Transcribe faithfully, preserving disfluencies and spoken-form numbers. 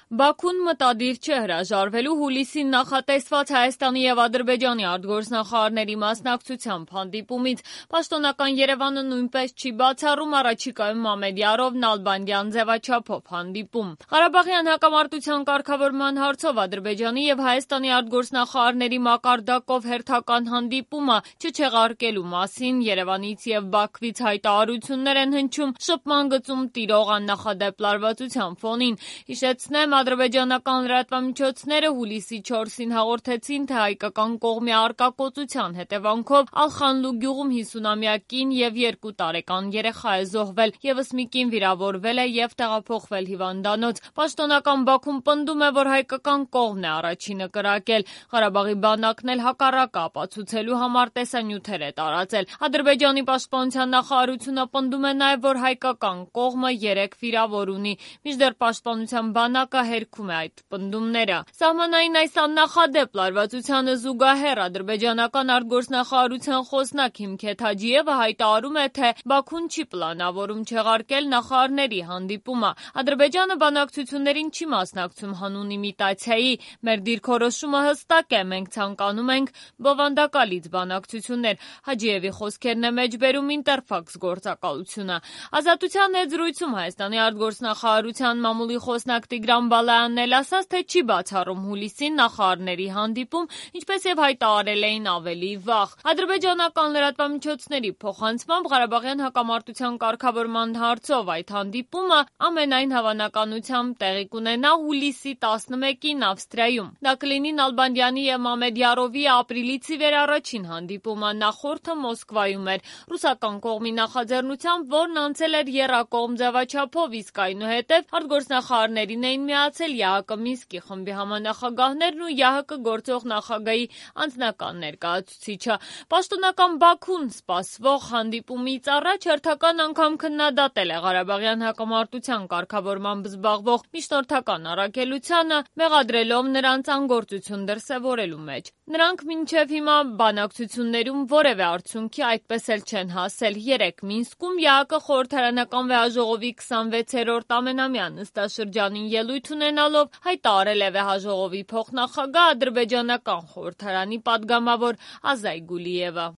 Բաքուն մտադիր չէ հրաժարվելու հուլիսին նախատեսված Հայաստանի և Ադրբեջանի արտգործնախարարների մասնակցությամբ հանդիպումից։ Պաշտոնական Երևանը նույնպես չի բացառում առաջիկայում Մամեդյարով, Նալբանդյան ձևաչափով հանդիպում։ Ղարաբաղյան հակամարտության կարգավորման հարցով Ադրբեջանի և Հայաստանի արտգործնախարարների մակարդակով հերթական հանդիպումը չչեղարկելու մասին Երևանից և Բաքվից հայտարարություններ են հնչում շփման գծում տիրող աննախադեպ լարվածության ֆոնին։ Հիշեցնեմ, ադրբեջանական լրատվամիջոցները հուլիսի չորսին հաղորդեցին, թե հայկական կողմի արկակոծության հետևանքով Ալխանլու գյուղում հիսունամյա կին և երկու տարեկան երեխա է զոհվել, ևս մի կին վիրավորվել է և տեղափոխվել հիվանդանոց։ Պաշտոնական Բաքուն պնդում է, որ հայկական կողմն է առաջինը կրակել։ Ղարաբաղի բանակն էլ հակառակը ապացուցելու համար տեսանյութեր է տարածել։ Ադրբեջանի պաշտպանության նախարարությունը պնդում է նաև, որ հայկական կողմը երեք վիրավոր ունի, մինչդեռ պաշտպանության բանակը հերքում է այդ պնդումները։ Սահմանային այս աննախադեպ լարվածությանը զուգահեռ ադրբեջանական արտգործնախարարության խոսնակ Հիմքեթ Հաջիևը հայտարարում է, թե Բաքուն չի պլանավորում չեղարկել նախարարների հանդիպումը։ Ադրբեջանը բանակցություններին չի մասնակցում հանուն իմիտացիայի։ Մեր դիրքորոշումը հստակ է, մենք ցանկանում ենք բովանդակալից բանակցություններ։ Հաջիևի խոսքերն է մեջբերում Ինտերֆաքս գործակալությունը։ Ազատության հետ զրույցում Հայաստանի արտգործնախարարության մամուլի խոսնակ Տիգրան Բալայանն էլ ասաց, թե չի բացառում հուլիսին նախարարների հանդիպում, ինչպես և հայտարարել էին ավելի վաղ։ Ադրբեջանական լրատվամիջոցների փոխանցմամբ Ղարաբաղյան հակամարտության կարգավորման հարցով այդ հանդիպումը ամենայն հավանականությամբ տեղի կունենա հուլիսի տասնմեկին Ավստրիայում։ Դա կլինի Նալբանդյանի և Մամեդյարովի ապրիլից ի վեր առաջին հանդիպումը, նախորդը Մոսկվայում էր ռուսական կողմի նախաձեռնությամբ, որն անցել էր եռակողմ ձևաչափով, իսկ այնուհետև արտգործնախարարներին էին միացել ԵԱՀԿ Մինսկի խմբի համանախագահներն ու ԵԱՀԿ գործող նախագահի անձնական ներկայացուցիչը։ Պաշտոնական Բաքուն սպասվող հանդիպումից առաջ հերթական անգամ քննադատել է Ղարաբաղյան հակամարտության կարգավորմամբ զբաղվող միջնորդական առաքելությանը, մեղադրելով նրանց անգործություն դրսևորելու մեջ։ Նրանք մինչև հիմա բանակցություններում որևէ արդյունքի այդպես էլ չեն հասել։ Երեկ Մինսկում ԵԱՀԿ խորհրդարանական վեհաժողովի քսանվեցերորդ ամենամյա նստաշրջանին ելույթ ունենալով հայտարարել է վեհաժողովի փոխնախագահ ադրբեջանական խորհրդարանի պատգամավոր Ազայ Գուլիևը։